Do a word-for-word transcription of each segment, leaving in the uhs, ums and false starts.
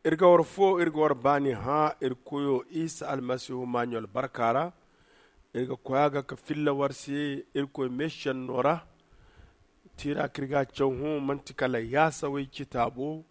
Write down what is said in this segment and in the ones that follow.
Iri ga war fo iri ga war baani hã iri koyo isa almasihu maaɲo albarka ra. Iri ga koy a ga ka filla war se iri koy meesenno ra. Tiira kaŋ iri ga a caw hõ manti kala yaasawey citaabo.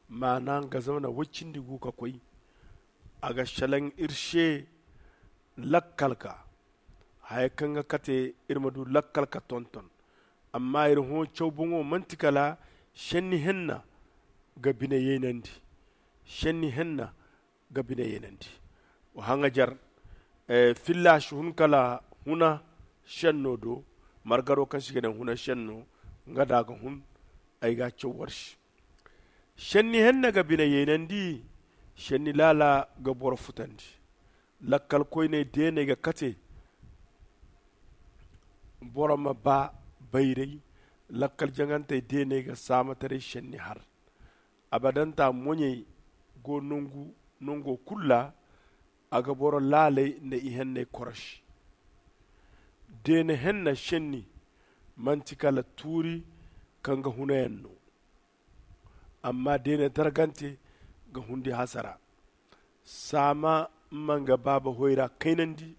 Maana nga zamana woy cindi gu ka koy. A ga selaŋ iri se lakkal ga haya kaŋ ga kate iri ma du lakkal ga tonton. Amma iri hõ caw boŋo manti kala senni henna ga bine yaynandi. Senni henna ga bine yaynandi. Wa haŋajer filla si hun kala huna senno do. Margaro kaŋ si ga ne huna senno nga da ga hun. Ay ga a caw war se. Senni henna ga bine yaynandi. Senni laala ga boro futandi. Lakkal koyney deeney ga kate boro ma ba bayray. Lakkal jaŋantey deeney ga saamataray senni har. Abadanta moɲey go nango kulu ra. A ga boro laaley nda ihenney korosi. Deene henna senni manti kala tuuri kaŋ ga hunayaŋ no. Amma deene dargante ga hundi hasara. Saama ma nga baaba hoyra kaynandi.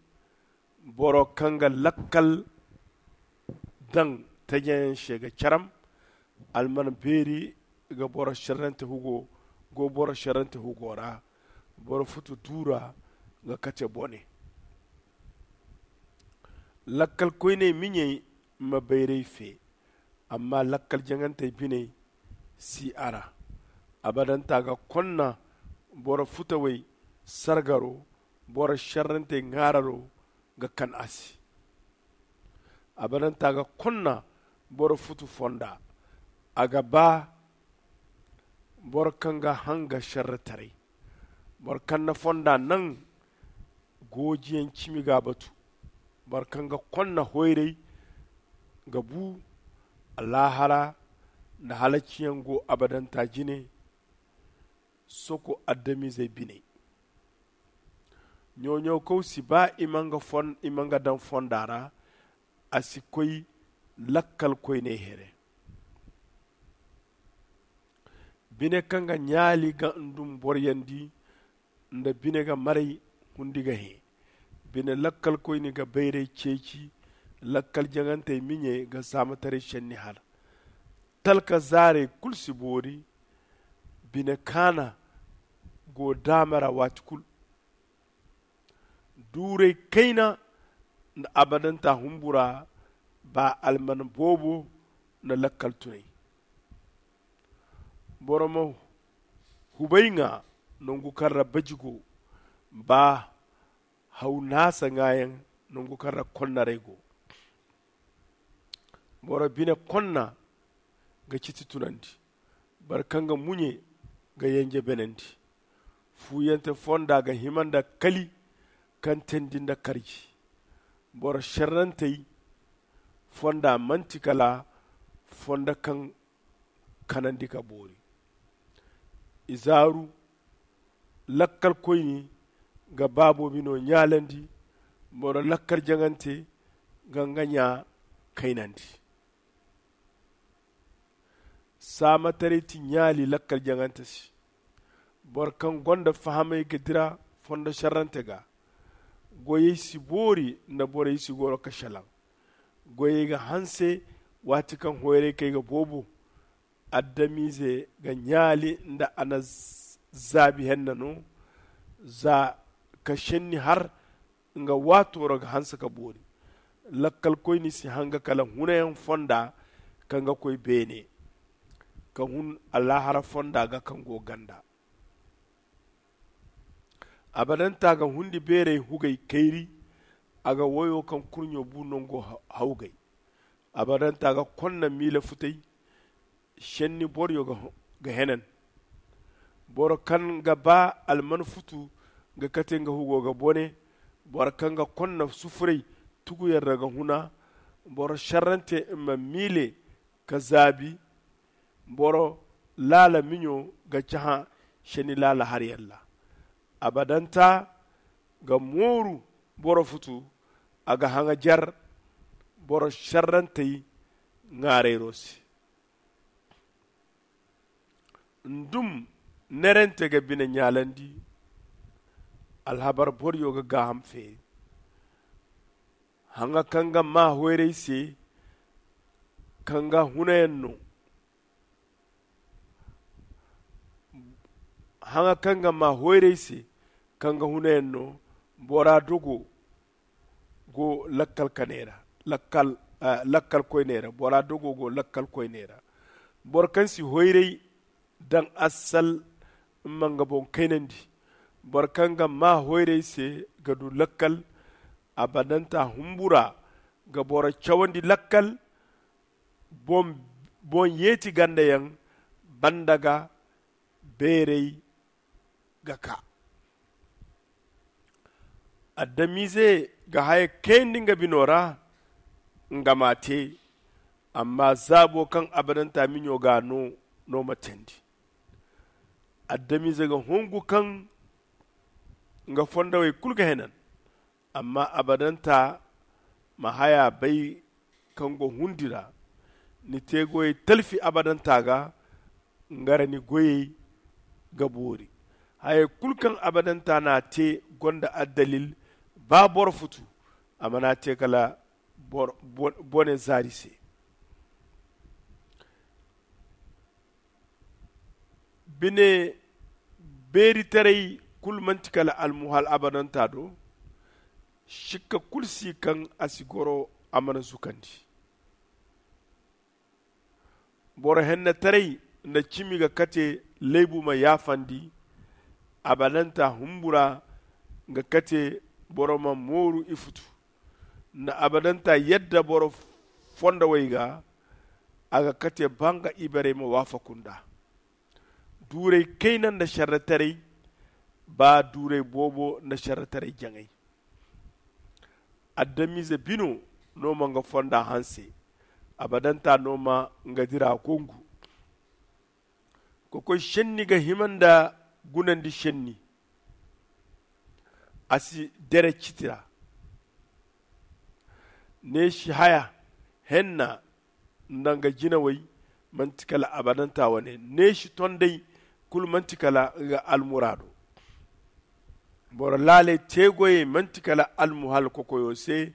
Boro kaŋ ga lakkal daŋ tajayaŋ se ga caram. Alman beeri ga boro serrante hugo go boro serrante hugo ra. Boro futu duura ga kate bone. Lakkal koyney miɲey ma bayray fe. Amma lakkal jaŋantey biney si a ra. Abadanta ga konna boro futawey sargaro. Boro serrantey ŋaararo ga kan a se. Abadanta ga konna boro futu fonda. A ga ba boro kaŋ ga hanga serretaray. Boro kaŋ na fonda naŋ goojiyaŋ cimi ga a batu. Boro kaŋ ga konna hoyray ga bu. Alaahara nda halaciyaŋ go abadanta jine. Soko adamizey biney ɲo-ɲo kaw si ba i ma nga daŋ fonda ra. A si koy lakkal koyney here. Bine kaŋ ga ɲaali ga ndum boroyandi nda bine ga maray hundi ga hẽ. Bine lakkal koyne ga bayray ceeci. Lakkal jaŋantey miɲey ga saamataray senni har. Talka zaarey kulu si boori. Bine kaana go daama ra waati kulu. Duuray kayna nda abadanta humbura. Ba alman boobo nda lakkal tunay. Boro ma hubay ŋwa nangu kaŋ ra baji go. Ba haw naasa ŋwaayaŋ nangu kaŋ ra konnaray go. Boro bine konna ga citi tunandi. Boro kaŋ ga muɲe ga yanje benandi. Fuuyante fonda ga hima nda kali kaŋ teendi nda karji. Boro serrantey fonda manti kala fondo kaŋ kanandi ka boori. Izaaru lakkalkoyne ga baabo bino ɲaalandi. Boro lakkal jaŋante ga nga ɲa kaynandi. Saamataray ti ɲaali lakkal jaŋante se. Boro kaŋ gonda fahamay ga dira fondo serrante ga. Goyey si boori nda borey si goro ka selaŋ. Goyey ga hanse waati kaŋ hoyray kay ga boobo. Adamize ga ɲaali nda a na zaabi henna no. Za ka senni har nga waato ra ga hanse ka boori. Lakkalkoyne si hanga kala hunayaŋ fonda kaŋ ga koy beene ka hun alaahara fonda ga kaŋ go ganda. Abadanta ga hundi beeray hugay kayri. A ga woyo kaŋ kurɲo bu nango hawgay. Abadanta ga konna miila futay. Senni boroyo ga henan. Boro kaŋ ga ba alman futu ga kate nga hugo ga bone. Boro kaŋ ga konna sufuray tuguyaŋ ra ga huna. Boro serrante ma miile ka zaabi. Boro laala miɲo ga cahã senni laala haryaŋ ra. Abadanta ga mooru boro futu. A ga haŋajer boro serrantey ŋwaarayro se. Ndum Nerante ga bine ɲaalandi. Alhabar boroyo ga gaaham feeri. Haŋa kaŋ ga maa hoyray se, kaŋ ga hunayaŋ no. Haŋa kaŋ ga maa hoyray se, kaŋ ga hunayaŋ no. Bora dogo go lakkal kanay ra. Lakkal koyney ra bora dogo go lakkal koyney ra. Boro kaŋ si hoyray daŋ assal, ma nga boŋ kaynandi. Boro kaŋ ga maa hoyray se ga du lakkal. Abadanta humbura ga boro cawandi lakkal. Boŋ yeeti ganda yaŋ banda ga beeray ga kaa. Adamize ga haya kayandi nga bino ra. Nga m'a te. Amma zaabo kaŋ abadanta miɲo ga no no ma teendi. Adamize ga hungu kaŋ nga fondawey kulu ga henan. Amma abadanta ma haya bay kaŋ go hundi ra. Ni te goyey talfi abadanta ga. Nga ra ni goyey ga boori. Hayey kulu kaŋ abadanta n'a te gonda addalil. Ba boro futu a mana te kala bone zaari se. Bine beeritaray kulu manti kala almuhal abadanta do. Sikka kulu si kaŋ a si goro a mana zukandi. Boro hennetaray nda cimi ga kate laybu ma yaafandi. Abadanta humbura ga kate boro ma mooru ifutu. Nda abadanta yadda boro fondawey ga a ga kate ba nga ibarey ma waafaku nd'a. Duuray kayna nda serretaray. Ba duuray boobo nda serretaray jaŋay. Adamize bino no ma nga fonda hanse. Abadanta no ma nga dira gongu. Kokoy senni ga hima nda gunandi senni. A si dere citi ra. Neesi haya henna nda nga jinawey manti kala abadanta wane. Neesi tondey kulu manti kala nga almuraado. Boro laaley teegoyey manti kala almuhal kokoyo se.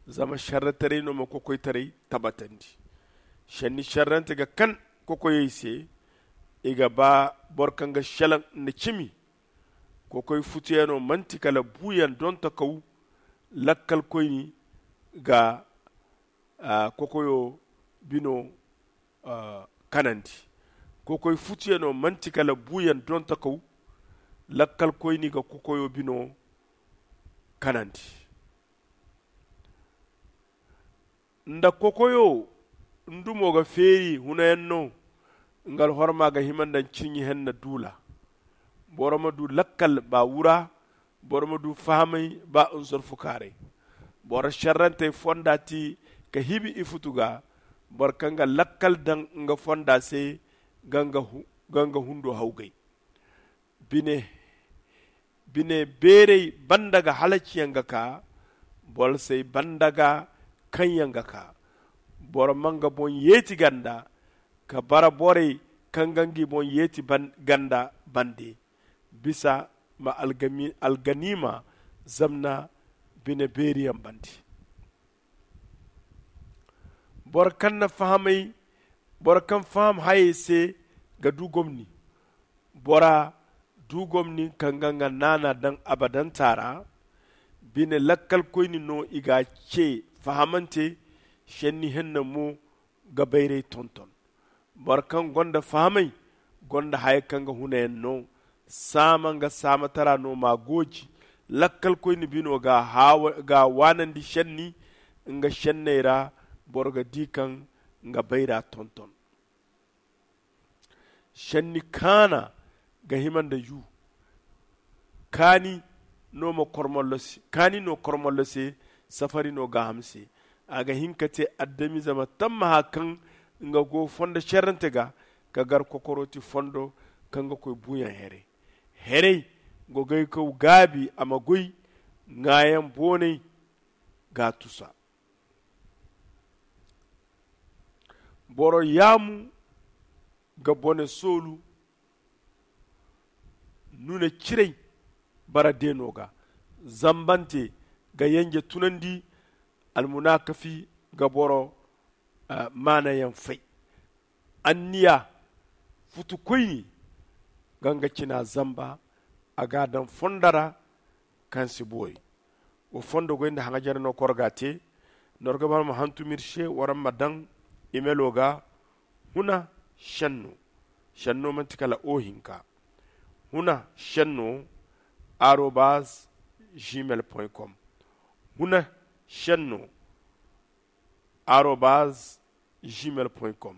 Zama serretaray no ma kokoytaray tabatandi. Senni serrante ga kan kokoyey se. I ga ba boro kaŋ ga selaŋ nda cimi. Kokoy futuyaŋo manti kala buuyaŋ dontakaw. Lakkalkoyni ga kokoyo bino kanandi. Kokoy futuyaŋo manti kala buuyaŋ dontakaw. Lakkalkoyni ga kokoyo bino kanandi. Nda kokoyo ndumo ga feeri hunayaŋ no. Nga alhorma ga hima nda ciɲi henna duula. Boro ma du lakkal ba wura. Boro ma du fahamay ba nzorfukaaray. Boro serrantey fonda ti ka hibi ifutu ga. Boro kaŋ ga lakkal daŋ nga fonda se ga nga hundo hawgay. Bine beerey banda ga halaciyaŋ ga kaa. Bolsey banda ga kaŋyaŋ ga kaa. Boro ma nga boŋ yeeti ganda ka bara borey kaŋ ga ngi boŋ yeeti ganda bande. Bisa ma alganiima zamna bine beeriyaŋ bande. Boro kaŋ na fahamay boro kaŋ faham hayey se ga du gomni. Bora du gomni kaŋ ga nga naana daŋ abadanta ra. Bine lakkalkoyni no i ga ce fahamante. Senni henna mo ga bayray tonton. Boro kaŋ gonda fahamay gonda haya kaŋ ga hunayaŋ no. Saama nga saamatara no ma gooji. Lakkalkoyni bino ga waanandi senni nga senney ra. Boro ga di kaŋ nga bayra tonton. Senni kaana ga hima nda yu. Kaani no ma kormollo se kaani no kormollo se. Safari no gaaham se. A ga hin ka te adamize ma tammaha kaŋ nga go fondo serrante ga ka gar kokorooti fondo kaŋ ga koy buuyaŋ here. Herey gogaykaw gaabi a ma goy. Ŋaayaŋ boonay ga a tusa. Boro yaamu ga bone soolu. nuna ciray bara deeno ga. Zambante ga yenje tunandi. Almunaakafi ga boro maanayaŋ fay. Anniya futu koyne ga nga cina zamba. A ga a daŋ fondo ra kaŋ si boori. Wa fondo goy nda haŋajare no koro ga a te. Noro ga bara ma hantum iri se waraŋ ma daŋ imelo ga. Huna senno senno manti kala o hinka. Huna senno arobaz gmail point com. Huna senno arobaz gmail point com.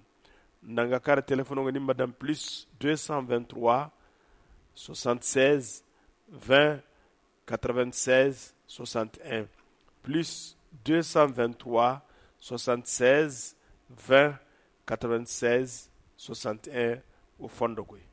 Nda nga kara telefono ga ni ma daŋ plus deux cent vingt-trois soixante-seize vingt quatre-vingt-seize soixante-un. Plus deux cent vingt-trois soixante-seize vingt quatre-vingt-seize soixante-un. Wa fondo goy.